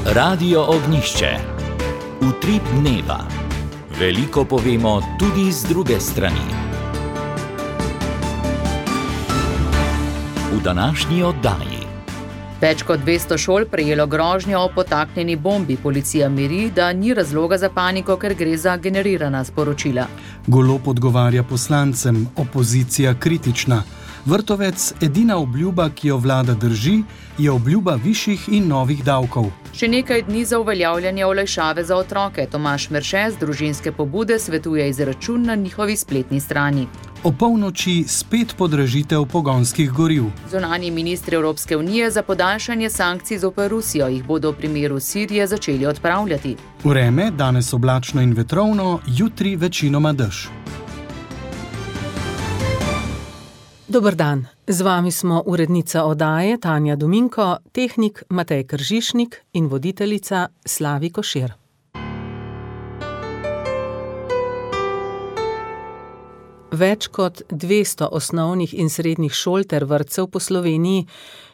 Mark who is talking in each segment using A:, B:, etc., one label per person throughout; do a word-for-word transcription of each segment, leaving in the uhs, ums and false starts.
A: Radio Ognjišče. Utrip dneva. Veliko povemo tudi z druge strani. V današnji oddaji.
B: Več kot dvesto šol prejelo grožnjo o potaknjeni bombi. Policija miri, da ni razloga za paniko, ker gre za generirana sporočila.
C: Golob odgovarja poslancem, opozicija kritična. Vrtovec, edina obljuba, ki jo vlada drži, je obljuba višjih in novih davkov.
B: Še nekaj dni za uveljavljanje olajšave za otroke. Tomaž Merše z Družinske pobude svetuje izračun na njihovi spletni strani.
C: O polnoči spet podražitev pogonskih goriv.
B: Zunanji ministri Evropske unije za podaljšanje sankcij zoper Rusijo jih bodo v primeru Sirije začeli odpravljati.
C: Vreme, danes oblačno in vetrovno, jutri večinoma dež.
D: Dober dan, z vami smo urednica oddaje Tanja Dominko, tehnik Matej Kržišnik in voditeljica Slavi Košir. Več kot dvesto osnovnih in srednjih šol ter vrtcev po Sloveniji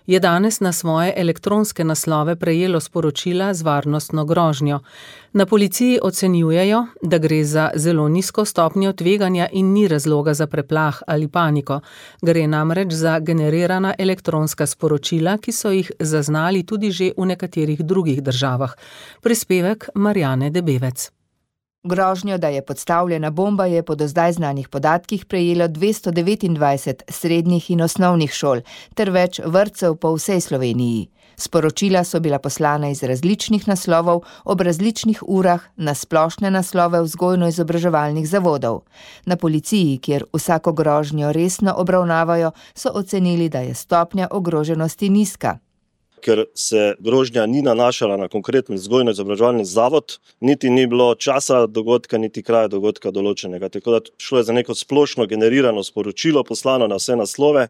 D: je danes na svoje elektronske naslove prejelo sporočila z varnostno grožnjo. Na policiji ocenjujejo, da gre za zelo nizko stopnjo tveganja in ni razloga za preplah ali paniko. Gre namreč za generirana elektronska sporočila, ki so jih zaznali tudi že v nekaterih drugih državah. Prispevek Marjane Debevec.
E: Grožnjo, da je podstavljena bomba, je po do zdaj znanih podatkih prejelo dvesto devetindvajset srednjih in osnovnih šol ter več vrtcev po vsej Sloveniji. Sporočila so bila poslana iz različnih naslovov ob različnih urah na splošne naslove vzgojno-izobraževalnih zavodov. Na policiji, kjer vsako grožnjo resno obravnavajo, so ocenili, da je stopnja ogroženosti nizka.
F: Ker se grožnja ni nanašala na konkretni vzgojno-izobraževalni zavod, niti ni bilo časa dogodka, niti kraja dogodka določenega. Tako da šlo je za neko splošno generirano sporočilo, poslano na vse naslove.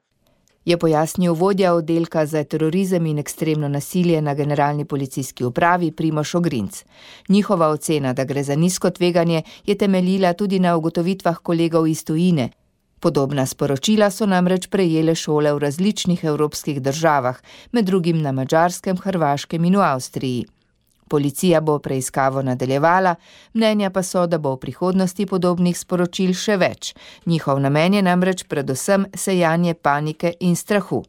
E: Je pojasnil vodja oddelka za terorizem in ekstremno nasilje na Generalni policijski upravi Primož Ogrinc. Njihova ocena, da gre za nizko tveganje, je temeljila tudi na ugotovitvah kolegov iz tujine. Podobna sporočila so namreč prejele šole v različnih evropskih državah, med drugim na Madžarskem, Hrvaškem in v Avstriji. Policija bo preiskavo nadaljevala, mnenja pa so, da bo v prihodnosti podobnih sporočil še več. Njihov namen je namreč predvsem sejanje panike in strahu.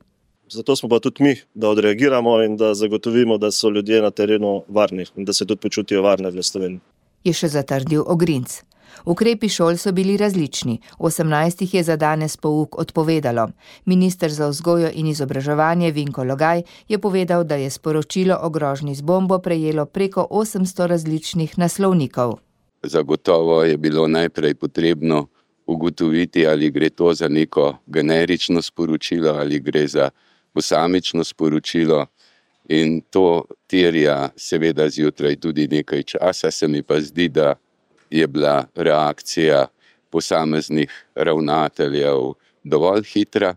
F: Zato smo pa tudi mi, da odreagiramo in da zagotovimo, da so ljudje na terenu varni in da se tudi počutijo varne v Sloveniji.
E: Je še zatrdil Ogrinc. Ukrepi šol so bili različni, osemnajstih je za danes pouk odpovedalo. Minister za vzgojo in izobraževanje Vinko Logaj je povedal, da je sporočilo o grožnji z bombo prejelo preko osemsto različnih naslovnikov.
G: Zagotovo je bilo najprej potrebno ugotoviti, ali gre to za neko generično sporočilo, ali gre za posamično sporočilo. In to terja seveda zjutraj tudi nekaj časa, se mi pa zdi, da je bila reakcija posameznih ravnateljev dovolj hitra.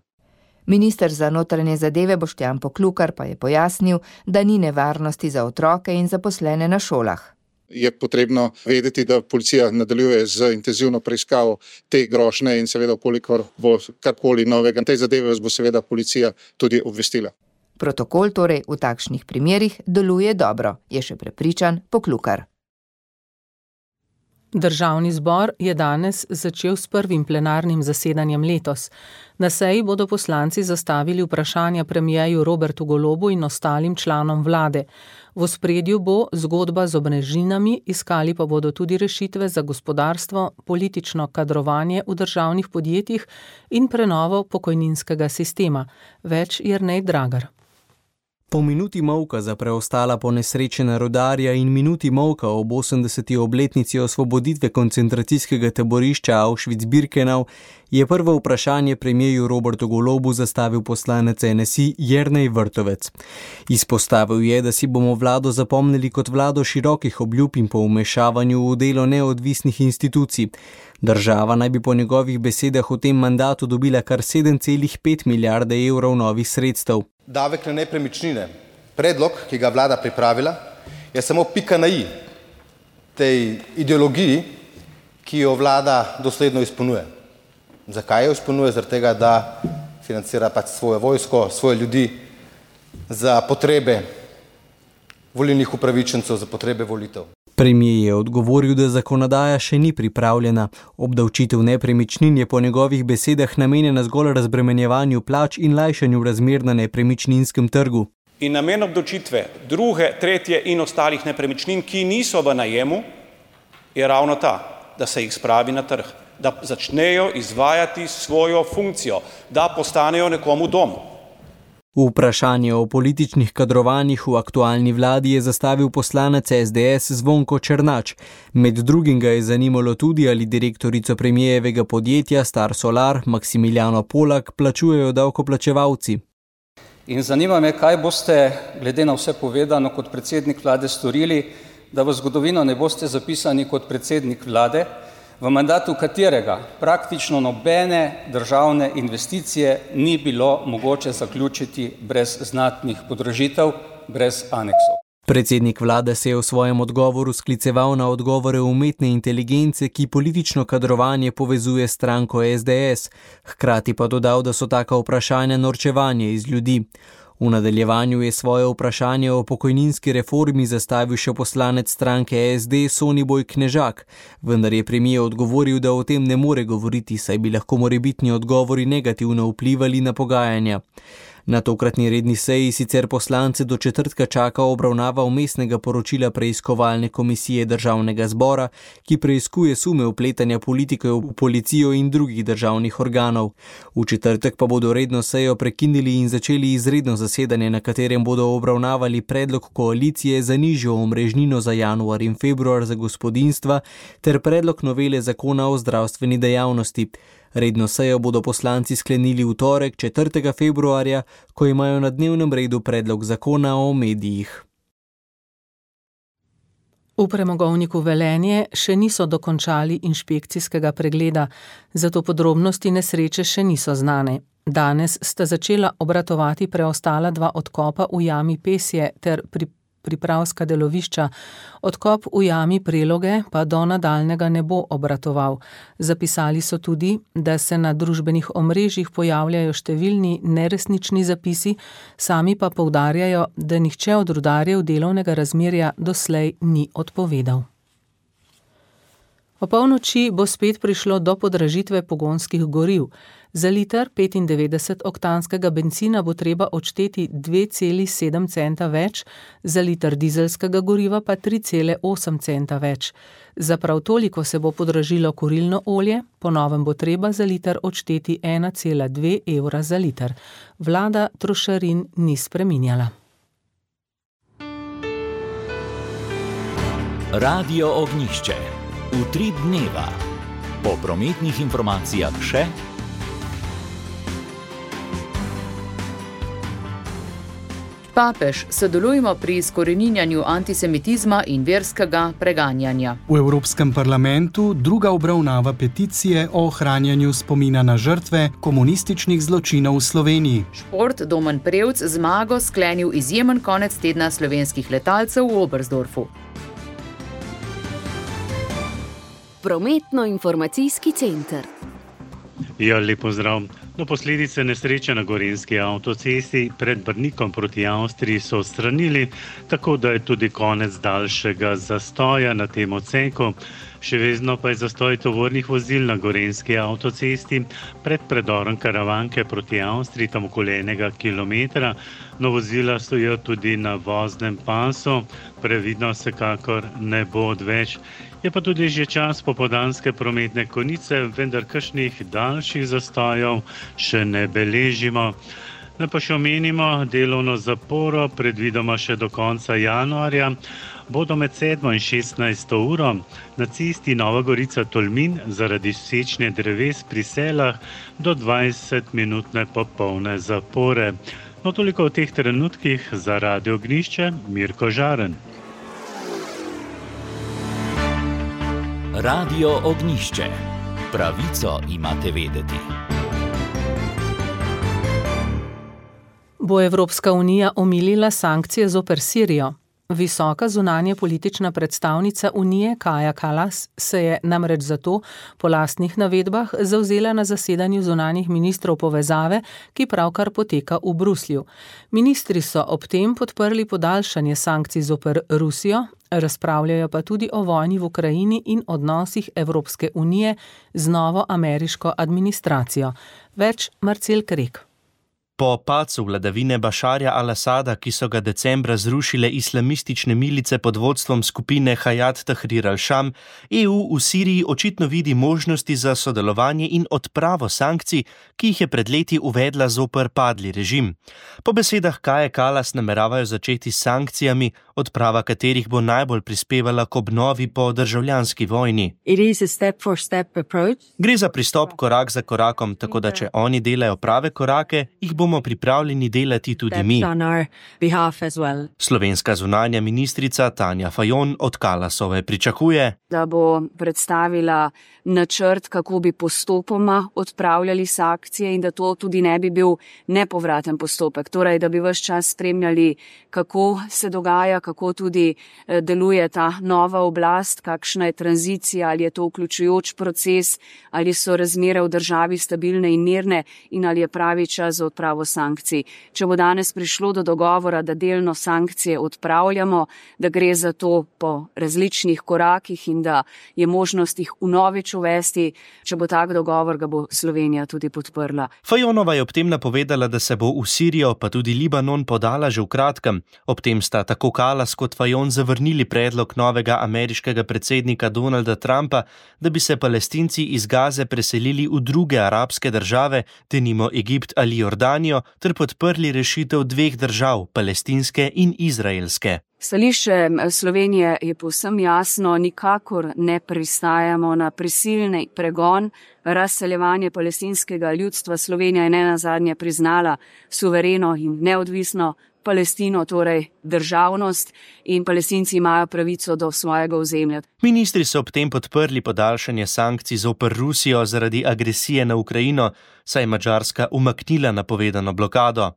E: Minister za notranje zadeve Boštjan Poklukar pa je pojasnil, da ni nevarnosti za otroke in zaposlene na šolah.
H: Je potrebno vedeti, da policija nadaljuje z intenzivno preiskavo te grožnje in seveda, kolikor bo karkoli novega tej zadeve, bo seveda policija tudi obvestila.
E: Protokol torej v takšnih primerih deluje dobro, je še prepričan Poklukar.
D: Državni zbor je danes začel s prvim plenarnim zasedanjem letos. Na seji bodo poslanci zastavili vprašanja premierju Robertu Golobu in ostalim članom vlade. V ospredju bo zgodba z omrežninami, iskali pa bodo tudi rešitve za gospodarstvo, politično kadrovanje v državnih podjetjih in prenovo pokojninskega sistema. Več Jernej Dragar.
I: Po minuti molka za preostala ponesrečena rudarja in minuti molka ob osemdeseti obletnici osvoboditve koncentracijskega taborišča Auschwitz-Birkenau je prvo vprašanje premierju Robertu Golobu zastavil poslanec N S I Jernej Vrtovec. Izpostavil je, da si bomo vlado zapomnili kot vlado širokih obljub in po vmešavanju v delo neodvisnih institucij. Država naj bi po njegovih besedah v tem mandatu dobila kar sedem celih pet milijarde evrov novih sredstev.
J: Davek na nepremičnine, predlog, ki ga vlada pripravila, je samo pika na i tej ideologiji, ki jo vlada dosledno izpolnjuje. Zakaj jo izpolnjuje? Zaradi tega, da financira pač svojo vojsko, svoje ljudi za potrebe volilnih upravičencev za potrebe volitev.
I: Premier je odgovoril, da zakonodaja še ni pripravljena. Obdavčitev nepremičnin je po njegovih besedah namenjena zgolj razbremenjevanju plač in lajšanju razmer na nepremičninskem trgu.
K: In namen obdavčitve druge, tretje in ostalih nepremičnin, ki niso v najemu, je ravno ta, da se jih spravi na trg, da začnejo izvajati svojo funkcijo, da postanejo nekomu dom.
I: Vprašanje o političnih kadrovanjih v aktualni vladi je zastavil poslanec S D S Zvonko Černač. Med drugim ga je zanimalo tudi, ali direktorico premijevega podjetja Star Solar Maksimiljano Polak plačujejo davkoplačevalci.
L: In zanima me, kaj boste, glede na vse povedano, kot predsednik vlade storili, da v zgodovino ne boste zapisani kot predsednik vlade, v mandatu katerega praktično nobene državne investicije ni bilo mogoče zaključiti brez znatnih podražitev, brez aneksov.
I: Predsednik vlade se je v svojem odgovoru skliceval na odgovore umetne inteligence, ki politično kadrovanje povezuje stranko S D S, hkrati pa dodal, da so taka vprašanja norčevanje iz ljudi. V nadaljevanju je svoje vprašanje o pokojninski reformi zastavil še poslanec stranke S D Soniboj Knežak, vendar je premier odgovoril, da o tem ne more govoriti, saj bi lahko morebitni odgovori negativno vplivali na pogajanja. Na tokratni redni seji sicer poslance do četrtka čaka obravnava vmesnega poročila preiskovalne komisije državnega zbora, ki preiskuje sume vpletanja politikov v policijo in drugih državnih organov. V četrtek pa bodo redno sejo prekinili in začeli izredno zasedanje, na katerem bodo obravnavali predlog koalicije za nižjo omrežnino za januar in februar za gospodinjstva ter predlog novele zakona o zdravstveni dejavnosti. Redno sejo bodo poslanci sklenili v torek, četrtega februarja, ko imajo na dnevnem redu predlog zakona o medijih.
D: V premogovniku Velenje še niso dokončali inšpekcijskega pregleda, zato podrobnosti nesreče še niso znane. Danes sta začela obratovati preostala dva odkopa v jami Pesje ter pri pripravska delovišča. Odkop v jami Preloge pa do nadaljnega ne bo obratoval. Zapisali so tudi, da se na družbenih omrežjih pojavljajo številni neresnični zapisi, sami pa poudarjajo, da nihče od rudarjev delovnega razmerja doslej ni odpovedal. O polnoči bo spet prišlo do podražitve pogonskih goriv. Za liter petindevetdesetoktanskega bencina bo treba odšteti dve celi sedem centa več, za liter dizelskega goriva pa tri cele osem centa več. Za prav toliko se bo podražilo kurilno olje, po novem bo treba za liter odšteti ena cela dve evra za liter. Vlada trošarin ni spreminjala.
A: Radio Ognjišče. Utrip dneva. Po prometnih informacijah še.
B: Papež, sodelujemo pri izkoreninjanju antisemitizma in verskega preganjanja.
C: V Evropskem parlamentu druga obravnava peticije o ohranjanju spomina na žrtve komunističnih zločinov v Sloveniji.
B: Šport, Domen Prevc zmago sklenil izjemen konec tedna slovenskih letalcev v Oberstdorfu.
M: Prometno-informacijski center.
N: Ja, lep pozdrav. No, posledice nesreče na gorenjski avtocesti pred Brnikom proti Avstriji so odstranili, tako da je tudi konec daljšega zastoja na tem odseku. Še vedno pa je zastoj tovornih vozil na gorenjski avtocesti pred predorom Karavanke proti Avstriji, tam okoli enega kilometra. No, vozila stojijo tudi na voznem pasu, previdno vsekakor ne bo odveč. Je pa tudi že čas popoldanske prometne konice, vendar kakšnih daljših zastojev še ne beležimo. Ne pa še omenimo delovno zaporo, predvidoma še do konca januarja, bodo med sedmo in šestnajsto uro na cesti Nova Gorica-Tolmin zaradi sečnje dreves pri Selah do dvajsetminutne popolne zapore. No, toliko v teh trenutkih. Za Radio Ognjišče, Mirko Žaren.
A: Radio Ognjišče. Pravico imate vedeti.
D: Bo Evropska unija omilila sankcije zoper Sirijo? Visoka zunanje politična predstavnica Unije Kaja Kallas se je namreč zato po lastnih navedbah zavzela na zasedanju zunanjih ministrov povezave, ki pravkar poteka v Bruslju. Ministri so ob tem podprli podaljšanje sankcij zoper Rusijo, razpravljajo pa tudi o vojni v Ukrajini in odnosih Evropske unije z novo ameriško administracijo. Več Marcel Krek.
M: Po padcu vladavine Bašarja al-Asada, ki so ga decembra zrušile islamistične milice pod vodstvom skupine Hayat Tahrir al-Sham, E U v Siriji očitno vidi možnosti za sodelovanje in odpravo sankcij, ki jih je pred leti uvedla zoper padli režim. Po besedah Kaje Kallas nameravajo začeti s sankcijami, odprava katerih bo najbolj prispevala k obnovi po državljanski vojni.
O: Step step
M: Gre za pristop korak za korakom, tako da če oni delajo prave korake, jih bomo pripravljeni delati tudi mi.
O: Well.
M: Slovenska zunanja ministrica Tanja Fajon od Kallasove pričakuje,
P: da bo predstavila načrt, kako bi postopoma odpravljali sankcije in da to tudi ne bi bil nepovraten postopek. Torej, da bi ves čas spremljali, kako se dogaja, kako tudi deluje ta nova oblast, kakšna je tranzicija, ali je to vključujoč proces, ali so razmere v državi stabilne in mirne in ali je pravi čas za odpravo sankcij. Če bo danes prišlo do dogovora, da delno sankcije odpravljamo, da gre za to po različnih korakih in da je možnost jih vnovič uvesti, če bo tak dogovor, ga bo Slovenija tudi podprla.
M: Fajonova je ob tem napovedala, da se bo v Sirijo pa tudi Libanon podala že v kratkem. Ob tem sta tako Kallas kot Fajon zavrnili predlog novega ameriškega predsednika Donalda Trumpa, da bi se Palestinci iz Gaze preselili v druge arabske države, denimo Egipt ali Jordanijo, ter podprli rešitev dveh držav, palestinske in izraelske.
P: Stališče Slovenije je povsem jasno, nikakor ne pristajamo na prisilni pregon, razseljevanje palestinskega ljudstva. Slovenija je nenazadnje priznala suvereno in neodvisno Palestino, torej državnost, in Palestinci imajo pravico do svojega ozemlja.
M: Ministri so ob tem podprli podaljšanje sankcij zoper Rusijo zaradi agresije na Ukrajino, saj je Madžarska umaknila napovedano blokado.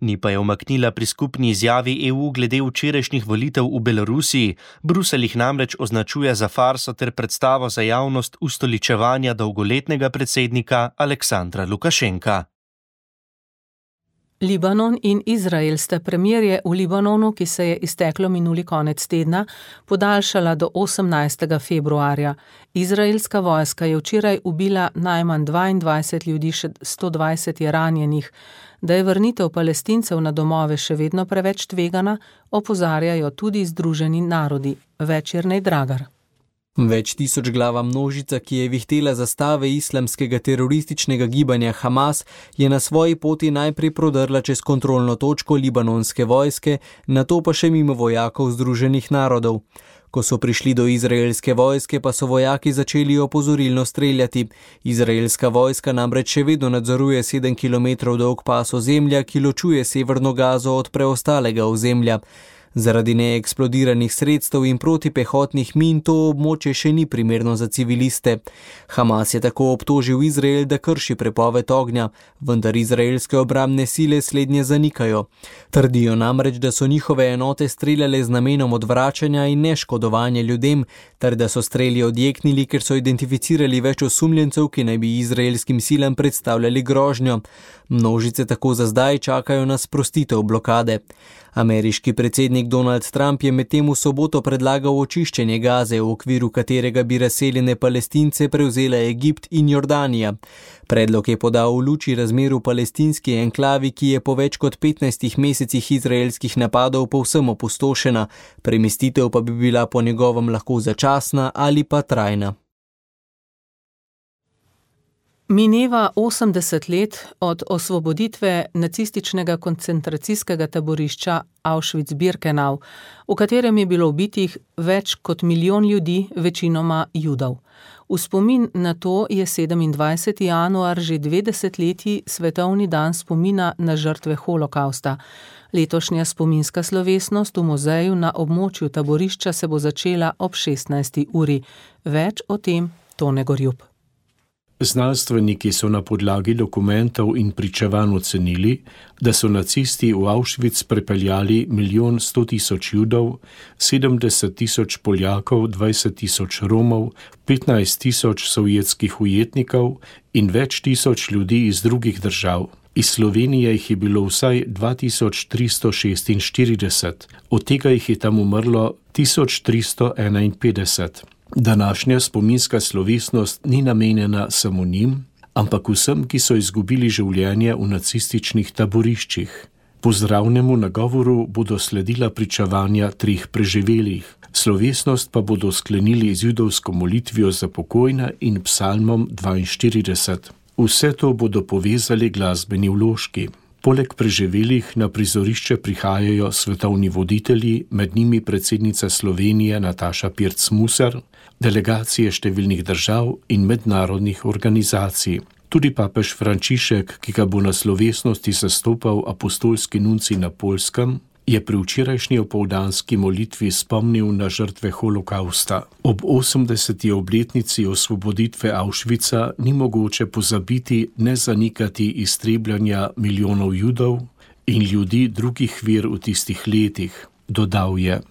M: Ni pa je umaknila pri skupni izjavi E U glede včerajšnjih volitev v Belorusiji. Bruselj jih namreč označuje za farso ter predstavo za javnost ustoličevanja dolgoletnega predsednika Aleksandra Lukašenka.
D: Libanon in Izrael sta premirje v Libanonu, ki se je izteklo minuli konec tedna, podaljšala do osemnajstega februarja. Izraelska vojska je včeraj ubila najmanj dvaindvajset ljudi, še sto dvajset je ranjenih. Da je vrnitev Palestincev na domove še vedno preveč tvegana, opozarjajo tudi Združeni narodi. Več Jernej Dragar.
I: Več tisoč glava množica, ki je vihtela zastave islamskega terorističnega gibanja Hamas, je na svoji poti najprej prodrla čez kontrolno točko libanonske vojske, nato pa še mimo vojakov Združenih narodov. Ko so prišli do izraelske vojske, pa so vojaki začeli opozorilno streljati. Izraelska vojska namreč še vedno nadzoruje sedem kilometrov dolg pas ozemlja, ki ločuje severno Gazo od preostalega ozemlja. Zaradi neeksplodiranih sredstev in protipehotnih min to območje še ni primerno za civiliste. Hamas je tako obtožil Izrael, da krši prepoved ognja, vendar izraelske obrambne sile slednje zanikajo. Trdijo namreč, da so njihove enote streljale z namenom odvračanja in neškodovanja ljudem, ter da so streli odjeknili, ker so identificirali več osumljencev, ki naj bi izraelskim silam predstavljali grožnjo. Množice tako za zdaj čakajo na sprostitev blokade. Ameriški predsednik Donald Trump je medtem v soboto predlagal očiščenje Gaze, v okviru katerega bi razseljene Palestince prevzela Egipt in Jordanija. Predlog je podal v luči razmer v palestinski enklavi, ki je po več kot petnajstih mesecih izraelskih napadov povsem opustošena, premestitev pa bi bila po njegovem lahko začasna ali pa trajna.
D: Mineva osemdeset let od osvoboditve nacističnega koncentracijskega taborišča Auschwitz-Birkenau, v katerem je bilo ubitih več kot milijon ljudi, večinoma Judov. V spomin na to je sedemindvajseti januar že dve desetletji svetovni dan spomina na žrtve holokausta. Letošnja spominska slovesnost v muzeju na območju taborišča se bo začela ob šestnajsti uri. Več o tem Tone Gorjup.
Q: Znanstveniki so na podlagi dokumentov in pričevanj ocenili, da so nacisti v Auschwitz prepeljali milijon sto tisoč Judov, sedemdeset tisoč Poljakov, dvajset tisoč Romov, petnajst tisoč sovjetskih ujetnikov in več tisoč ljudi iz drugih držav. Iz Slovenije jih je bilo vsaj dva tisoč tristo šestinštirideset, od tega jih je tam umrlo tisoč tristo enainpetdeset. Današnja spominska slovesnost ni namenjena samo njim, ampak vsem, ki so izgubili življenje v nacističnih taboriščih. Pozdravnemu nagovoru bodo sledila pričevanja treh preživelih. Slovesnost pa bodo sklenili z judovsko molitvijo za pokojne in psalmom dvainštirideset. Vse to bodo povezali glasbeni vložki. Poleg preživelih na prizorišče prihajajo svetovni voditelji, med njimi predsednica Slovenije Nataša Pirc-Musar, delegacije številnih držav in mednarodnih organizacij. Tudi papež Frančišek, ki ga bo na slovesnosti zastopal apostolski nuncij na Poljskem, je pri včerajšnji opoldanski molitvi spomnil na žrtve holokausta. Ob osemdeseti obletnici osvoboditve Auschwitza ni mogoče pozabiti ne zanikati iztrebljanja milijonov Judov in ljudi drugih ver v tistih letih, dodal je.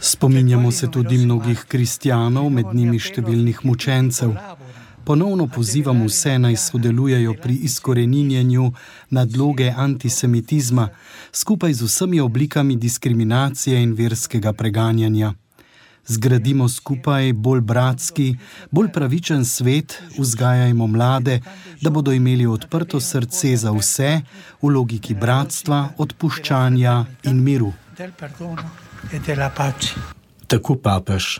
C: Spominjamo se tudi mnogih kristjanov, med njimi številnih mučencev. Ponovno pozivam vse, naj sodelujejo pri izkoreninjenju nadloge antisemitizma, skupaj z vsemi oblikami diskriminacije in verskega preganjanja. Zgradimo skupaj bolj bratski, bolj pravičen svet, vzgajajmo mlade, da bodo imeli odprto srce za vse v logiki bratstva, odpuščanja in miru.
Q: Tako papež.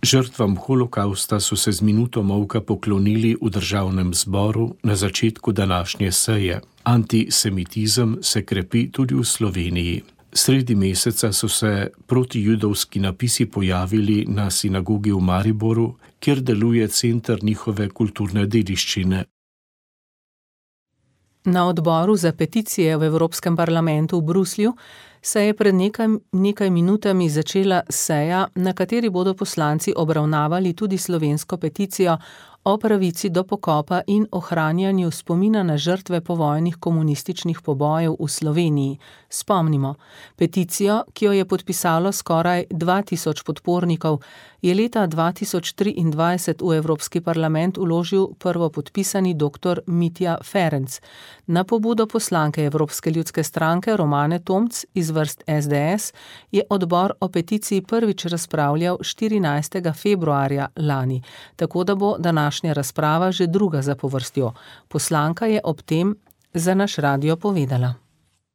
Q: Žrtvam holokausta so se z minuto molka poklonili v državnem zboru na začetku današnje seje. Antisemitizem se krepi tudi v Sloveniji. Sredi meseca so se protijudovski napisi pojavili na sinagogi v Mariboru, kjer deluje center njihove kulturne dediščine.
D: Na odboru za peticije v Evropskem parlamentu v Bruslju se je pred nekaj, nekaj minutami začela seja, na kateri bodo poslanci obravnavali tudi slovensko peticijo o pravici do pokopa in ohranjanju spomina na žrtve povojnih komunističnih pobojev v Sloveniji. Spomnimo, peticijo, ki jo je podpisalo skoraj dva tisoč podpornikov, je leta dva tisoč triindvajset v Evropski parlament vložil prvopodpisani doktor Mitja Ferenc. Na pobudo poslanke Evropske ljudske stranke Romane Tomc iz vrst es de es je odbor o peticiji prvič razpravljal štirinajstega februarja lani, tako da bo današnja razprava že druga zapovrstjo. Poslanka je ob tem za naš radio povedala.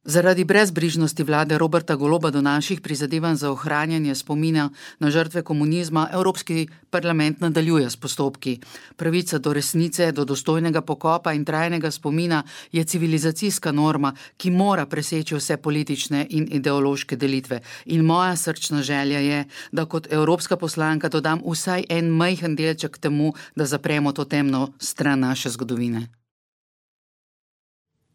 R: Zaradi brezbrižnosti vlade Roberta Goloba do naših prizadevanj za ohranjanje spomina na žrtve komunizma Evropski parlament nadaljuje s postopki. Pravica do resnice, do dostojnega pokopa in trajnega spomina je civilizacijska norma, ki mora preseči vse politične in ideološke delitve. In moja srčna želja je, da kot evropska poslanka dodam vsaj en majhen delček temu, da zapremo to temno stran naše zgodovine.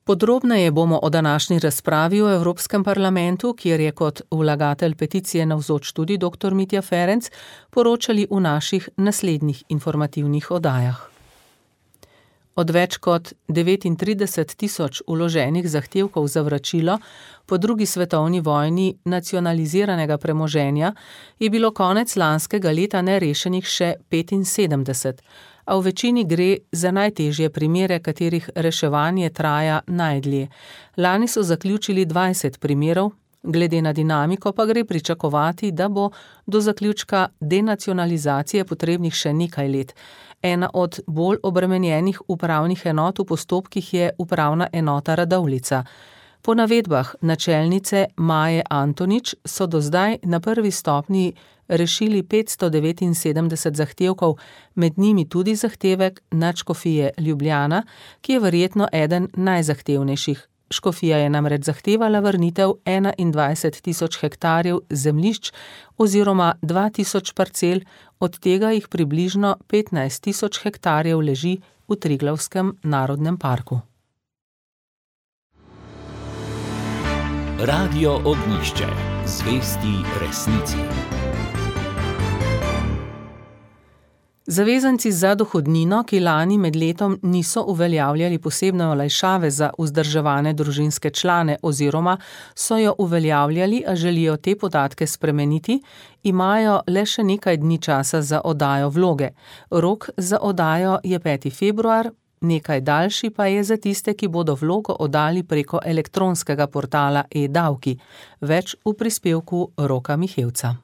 D: Podrobneje bomo o današnji razpravi v Evropskem parlamentu, kjer je kot vlagatelj peticije navzoč tudi doktor Mitja Ferenc, poročali v naših naslednjih informativnih oddajah. Od več kot devetintrideset tisoč vloženih zahtevkov za vračilo po drugi svetovni vojni nacionaliziranega premoženja je bilo konec lanskega leta nerešenih še petinsedemdeset, a v večini gre za najtežje primere, katerih reševanje traja najdlje. Lani so zaključili dvajset primerov, glede na dinamiko pa gre pričakovati, da bo do zaključka denacionalizacije potrebnih še nekaj let. Ena od bolj obremenjenih upravnih enot v postopkih je upravna enota Radovljica. Po navedbah načelnice Maje Antonič so do zdaj na prvi stopnji rešili petsto devetinsedemdeset zahtevkov, med njimi tudi zahtevek nadškofije Ljubljana, ki je verjetno eden najzahtevnejših. Škofija je namreč zahtevala vrnitev enaindvajset tisoč hektarjev zemljišč oziroma dva tisoč parcel, od tega jih približno petnajst tisoč hektarjev leži v Triglavskem narodnem parku.
A: Radio Ognjišče, zvesti resnici.
D: Zavezanci za dohodnino, ki lani med letom niso uveljavljali posebne olajšave za vzdrževane družinske člane oziroma so jo uveljavljali, a želijo te podatke spremeniti, imajo le še nekaj dni časa za oddajo vloge. Rok za oddajo je peti februar, nekaj daljši pa je za tiste, ki bodo vlogo oddali preko elektronskega portala e-davki. Več v prispevku Roka Mihevca.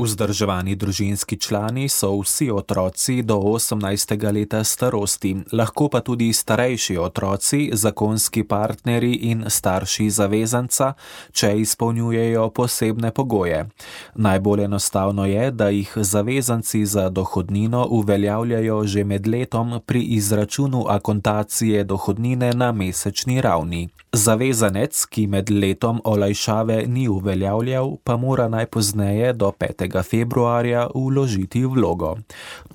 S: Vzdrževani družinski člani so vsi otroci do osemnajstega leta starosti, lahko pa tudi starejši otroci, zakonski partnerji in starši zavezanca, če izpolnjujejo posebne pogoje. Najbolj enostavno je, da jih zavezanci za dohodnino uveljavljajo že med letom pri izračunu akontacije dohodnine na mesečni ravni. Zavezanec, ki med letom olajšave ni uveljavljal, pa mora najpozneje do petega februarja vložiti vlogo.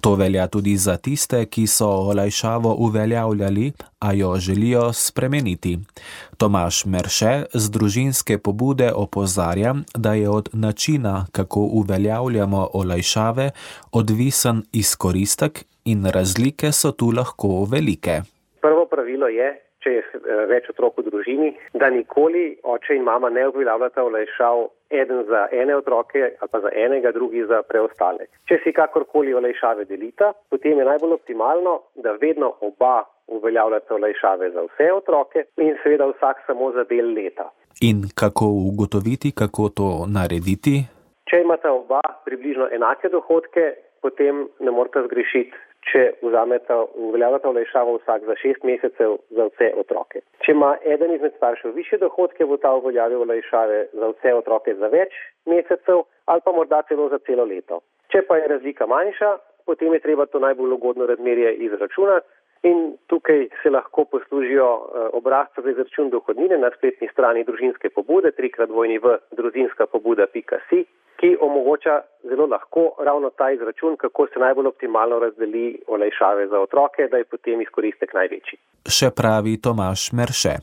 S: To velja tudi za tiste, ki so olajšavo uveljavljali, a jo želijo spremeniti. Tomaž Merše z družinske pobude opozarja, da je od načina, kako uveljavljamo olajšave, odvisen izkoristek in razlike so tu lahko velike.
T: Prvo pravilo je, če je več otrok v družini, da nikoli oče in mama ne uveljavljata olajšav eden za ene otroke ali pa za enega, drugi za preostale. Če si kakorkoli olajšave delita, potem je najbolj optimalno, da vedno oba uveljavljata olajšave za vse otroke in seveda vsak samo za del leta.
S: In kako ugotoviti, kako to narediti?
T: Če imata oba približno enake dohodke, potem ne morata zgrešiti, če vzameta, uveljavljata olajšavo vsak za šest mesecev za vse otroke. Če ima eden izmed staršev višje dohodke, bo ta uveljavil olajšave za vse otroke za več mesecev ali pa morda celo za celo leto. Če pa je razlika manjša, potem je treba to najbolj ugodno razmerje izračunati in tukaj se lahko poslužijo obrazca za izračun dohodnine na spletni strani družinske pobude trikrat dvojni v družinska pobuda pika si, ki omogoča zelo lahko ravno ta izračun, kako se najbolj optimalno razdeli olajšave za otroke, da je potem izkoristek največji.
S: Še pravi Tomaž Merše.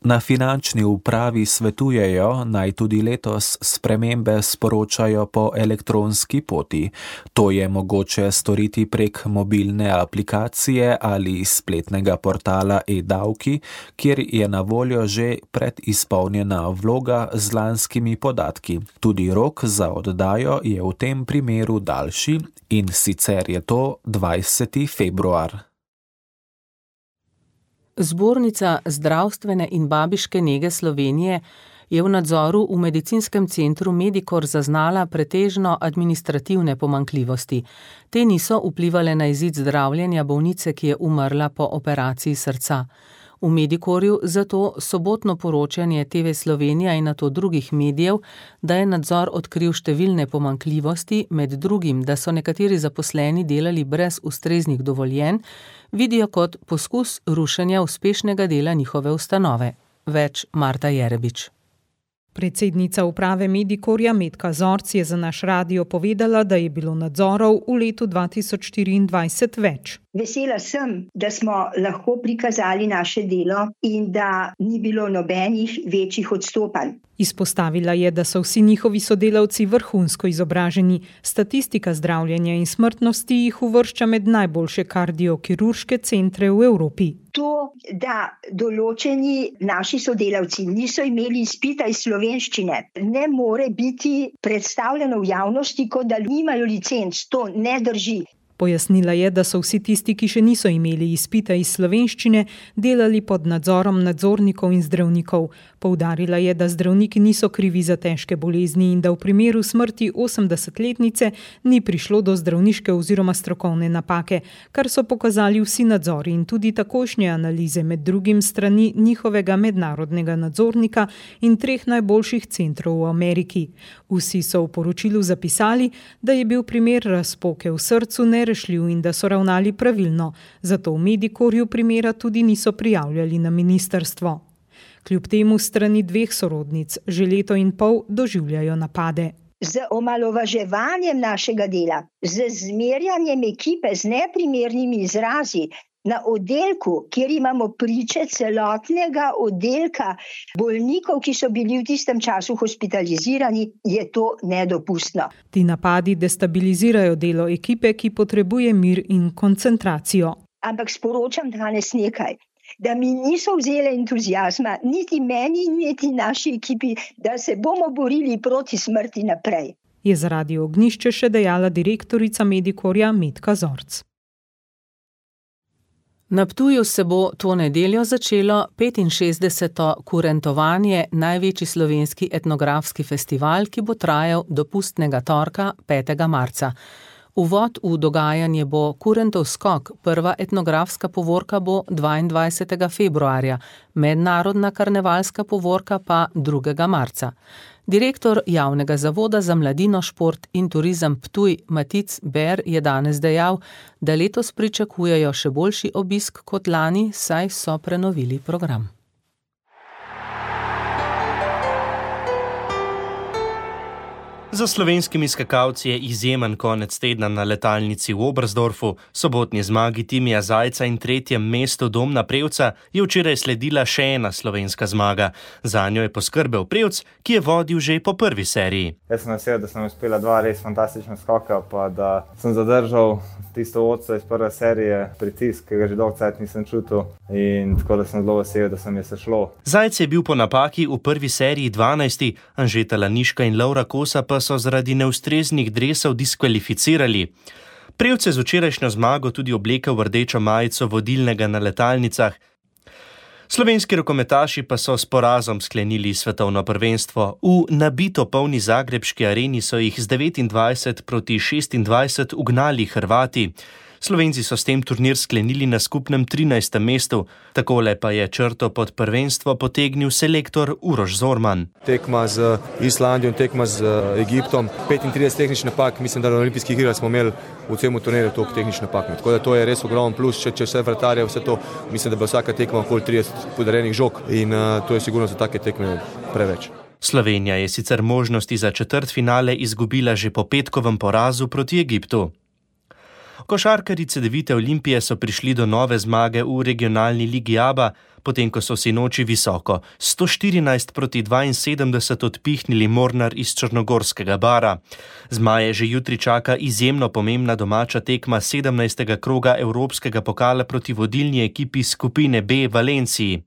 S: Na finančni upravi svetujejo, naj tudi letos spremembe sporočajo po elektronski poti. To je mogoče storiti prek mobilne aplikacije ali spletnega portala e-davki, kjer je na voljo že predizpolnjena vloga z lanskimi podatki. Tudi rok za oddajo je v tem primeru daljši in sicer je to dvajseti februar.
D: Zbornica zdravstvene in babiške nege Slovenije je v nadzoru v medicinskem centru Medikor zaznala pretežno administrativne pomanjkljivosti. Te niso vplivale na izid zdravljenja bolnice, ki je umrla po operaciji srca. V Medikorju zato sobotno poročanje T V Slovenija in nato drugih medijev, da je nadzor odkril številne pomanjkljivosti, med drugim, da so nekateri zaposleni delali brez ustreznih dovoljenj, vidijo kot poskus rušenja uspešnega dela njihove ustanove. Več Marta Jerebič.
U: Predsednica uprave Medikorja Metka Zorc je za naš radio povedala, da je bilo nadzorov v letu dva tisoč štiriindvajset več.
V: Vesela sem, da smo lahko prikazali naše delo in da ni bilo nobenih večjih odstopanj.
U: Izpostavila je, da so vsi njihovi sodelavci vrhunsko izobraženi. Statistika zdravljenja in smrtnosti jih uvršča med najboljše kardiokirurške centre v Evropi.
V: To, da določeni naši sodelavci niso imeli izpita iz slovenščine, ne more biti predstavljeno v javnosti, kot da nimajo licenc. To ne drži.
U: Pojasnila je, da so vsi tisti, ki še niso imeli izpita iz slovenščine, delali pod nadzorom nadzornikov in zdravnikov. Poudarila je, da zdravniki niso krivi za težke bolezni in da v primeru smrti osemdesetletnice ni prišlo do zdravniške oziroma strokovne napake, kar so pokazali vsi nadzori in tudi takošnje analize, med drugim strani njihovega mednarodnega nadzornika in treh najboljših centrov v Ameriki. Vsi so v poročilu zapisali, da je bil primer razpoke v srcu nerešljiv in da so ravnali pravilno, zato v Medikorju primera tudi niso prijavljali na ministrstvo. Kljub temu strani dveh sorodnic že leto in pol doživljajo napade.
V: Z omalovaževanjem našega dela, z zmerjanjem ekipe z neprimernimi izrazi Na oddelku, kjer imamo priče celotnega oddelka bolnikov, ki so bili v tistem času hospitalizirani, je to nedopustno.
U: Ti napadi destabilizirajo delo ekipe, ki potrebuje mir in koncentracijo.
V: Ampak sporočam danes nekaj, da mi niso vzele entuzijazma, niti meni, niti naši ekipi, da se bomo borili proti smrti naprej.
U: Je za Radio Ognjišče še dejala direktorica Medikorja Metka Zorc.
D: Na Ptuju se bo to nedeljo začelo petinšestdeseto Kurentovanje, največji slovenski etnografski festival, ki bo trajal do pustnega torka petega marca. Uvod v dogajanje bo Kurentov skok, prva etnografska povorka bo dvaindvajsetega februarja, mednarodna karnevalska povorka pa drugega marca. Direktor Javnega zavoda za mladino, šport in turizem Ptuj Matic Ber je danes dejal, da letos pričakujejo še boljši obisk kot lani, saj so prenovili program.
M: Za slovenskimi skakalci je izjemen konec tedna na letalnici v Oberstdorfu. Sobotni zmagi Timija Zajca in tretjem mestu Domna Prevca je včeraj sledila še ena slovenska zmaga. Zanjo je poskrbel Prevc, ki je vodil že po prvi seriji.
F: Jaz sem vesel, da sem uspela dva res fantastična skoka, pa da sem zadržal tisto vodstvo iz prve serije, pritisk, ki ga že dolgo cajt nisem čutil, in tako da sem zelo vesel, da sem je se šlo.
M: Zajc je bil po napaki v prvi seriji dvanajsti, Anžeta Laniška in Laura Kosa pa so zaradi neustreznih dresov diskvalificirali. Prevc je z včerajšnjo zmago tudi oblekel v rdečo majico vodilnega na letalnicah. Slovenski rokometaši pa so s porazom sklenili svetovno prvenstvo. V nabito polni zagrebški areni so jih z devetindvajset proti šestindvajset ugnali Hrvati. Slovenci so s tem turnir sklenili na skupnem trinajstem mestu. Takole pa je črto pod prvenstvo potegnil selektor Uroš Zorman.
G: Tekma z Islandijo, tekma z Egiptom, petintrideset tehničnih napak, mislim, da na olimpijskih igrah smo imeli v celem turnirju toliko tehničnih napak. Tako da to je res ogromen plus, če, če vse vratarje, vse to, mislim, da bo vsaka tekma okoli trideset podarenih žog in uh, to je sigurno za take tekme preveč.
M: Slovenija je sicer možnosti za četrtfinale izgubila že po petkovem porazu proti Egiptu. Košarkarji Cedevite Olimpije so prišli do nove zmage v regionalni ligi Aba, potem ko so sinoči visoko sto štirinajst proti dvainsedemdeset odpihnili Mornar iz črnogorskega Bara. Zmaje že jutri čaka izjemno pomembna domača tekma sedemnajstega kroga Evropskega pokala proti vodilni ekipi skupine B Valenciji.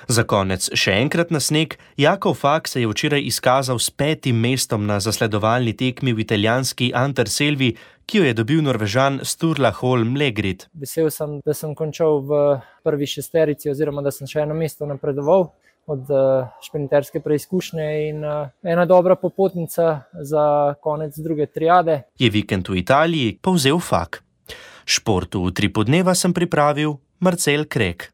M: Za konec še enkrat na sneg, Jakov Fak se je včeraj izkazal s petim mestom na zasledovalni tekmi v italijanski Anterselvi, ki jo je dobil Norvežan Sturla Holm Legrid.
W: Vesel sem, da sem končal v prvi šesterici oziroma da sem še eno mesto napredoval od šprinterske preizkušnje in ena dobra popotnica za konec druge triade.
M: Je vikend v Italiji povzel Fak. Športu v Tripu dneva sem pripravil Marcel Krek.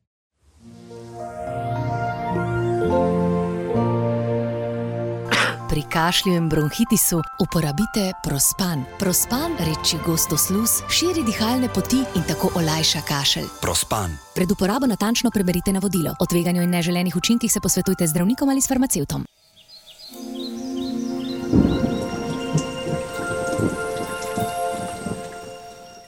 X: Pri kašlju in bronhitisu uporabite Prospan. Prospan reči gosto sluz, širi dihalne poti in tako olajša kašelj.
Y: Prospan.
X: Pred uporabo natančno preberite navodilo. O tveganju in neželenih učinkih se posvetujte z zdravnikom ali s farmacevtom.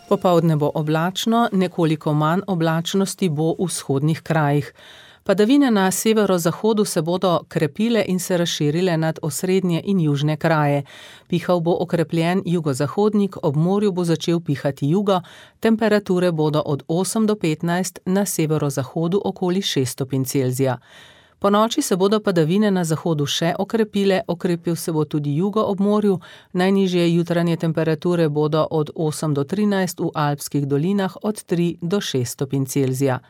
D: Popoldne bo oblačno, nekoliko manj oblačnosti bo v vzhodnih krajih. Padavine na severozahodu se bodo krepile in se razširile nad osrednje in južne kraje. Pihal bo okrepljen jugozahodnik, ob morju bo začel pihati jugo, temperature bodo od osem do petnajst, na severozahodu okoli šest stopinj Celzija. Po noči se bodo padavine na zahodu še okrepile, okrepil se bo tudi jugo ob morju, najnižje jutranje temperature bodo od osem do trinajst, v alpskih dolinah od tri do šest stopinj Celzija.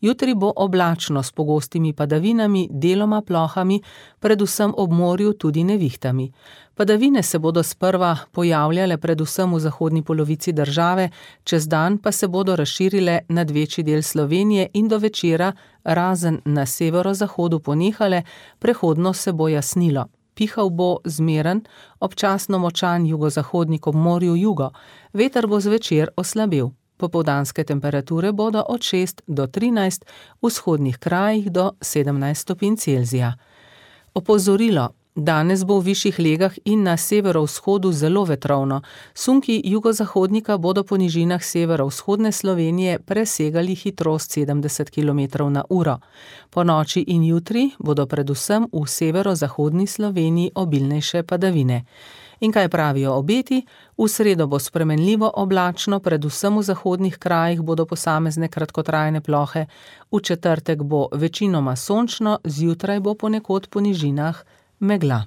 D: Jutri bo oblačno s pogostimi padavinami, deloma plohami, predvsem ob morju tudi nevihtami. Padavine se bodo sprva pojavljale predvsem v zahodni polovici države, čez dan pa se bodo razširile nad večji del Slovenije in do večera, razen na severozahodu ponehale, prehodno se bo jasnilo. Pihal bo zmeren, občasno močan jugozahodnik ob morju jugo, veter bo zvečer oslabel. Popoldanske temperature bodo od šest do trinajst, v vzhodnih krajih do sedemnajst stopinj Celzija. Opozorilo. Danes bo v višjih legah in na severovzhodu zelo vetrovno. Sunki jugozahodnika bodo po nižinah severovzhodne Slovenije presegali hitrost sedemdeset kilometrov na uro. Po noči in jutri bodo predvsem v severozahodni Sloveniji obilnejše padavine. In kaj pravijo obeti? V sredo bo spremenljivo oblačno, predvsem v zahodnih krajih bodo posamezne kratkotrajne plohe. V četrtek bo večinoma sončno, zjutraj bo ponekod po nižinah megla.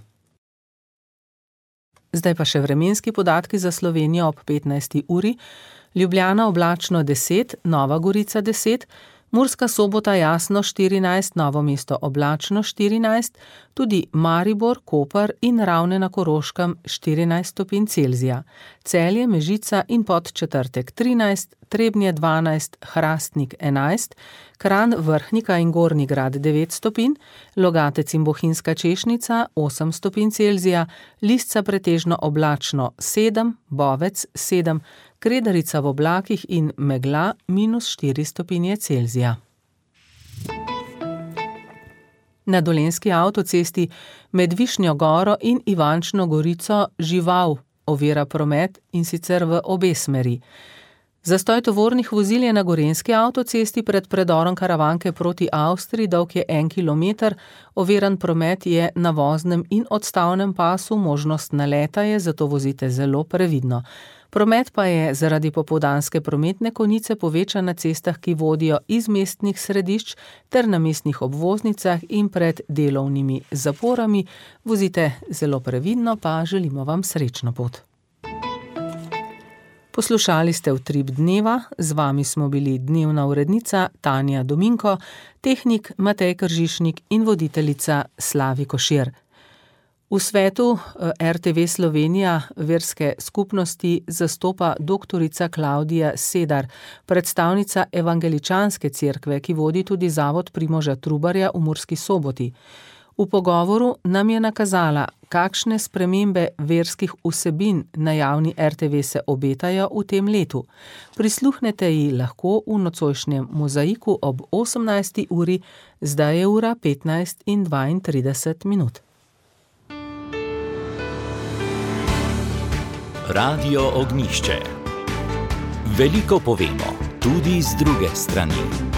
D: Zdaj pa še vremenski podatki za Slovenijo ob petnajsti uri. Ljubljana oblačno deset, Nova Gorica deset, Murska Sobota jasno štirinajst, Novo mesto oblačno štirinajst, tudi Maribor, Koper in Ravne na Koroškem štirinajst stopinj Celzija. Celje, Mežica in Podčetrtek trinajst, Trebnje dvanajst, Hrastnik enajst, Kranj, Vrhnika in Gornji Grad devet stopinj, Logatec in Bohinjska Češnica osem stopinj Celzija, Lisca pretežno oblačno sedem, Bovec sedem, Kredarica v oblakih in megla minus štiri stopinje Celzija. Na Dolenjski avtocesti med Višnjo Goro in Ivančno Gorico žival ovira promet, in sicer v obe smeri. Zastoj tovornih vozil je na Gorenjski avtocesti pred predorom Karavanke proti Avstriji, dolg je en kilometer, oviran promet je na voznem in odstavnem pasu, možnost naleta je, zato vozite zelo previdno. Promet pa je zaradi popoldanske prometne konice povečan na cestah, ki vodijo iz mestnih središč ter na mestnih obvoznicah in pred delovnimi zaporami. Vozite zelo previdno, pa želimo vam srečno pot. Poslušali ste Utrip dneva, z vami smo bili dnevna urednica Tanja Dominko, tehnik Matej Kržišnik in voditeljica Slavi Košir. V svetu er te ve Slovenija verske skupnosti zastopa doktorica Klavdija Sedar, predstavnica evangeličanske cerkve, ki vodi tudi zavod Primoža Trubarja v Murski Soboti. V pogovoru nam je nakazala, kakšne spremembe verskih vsebin na javni er te ve se obetajo v tem letu. Prisluhnete ji lahko v nocojšnjem mozaiku ob osemnajsti uri, zdaj je ura petnajst in dvaintrideset minut.
A: Radio Ognjišče. Veliko povemo, tudi z druge strani.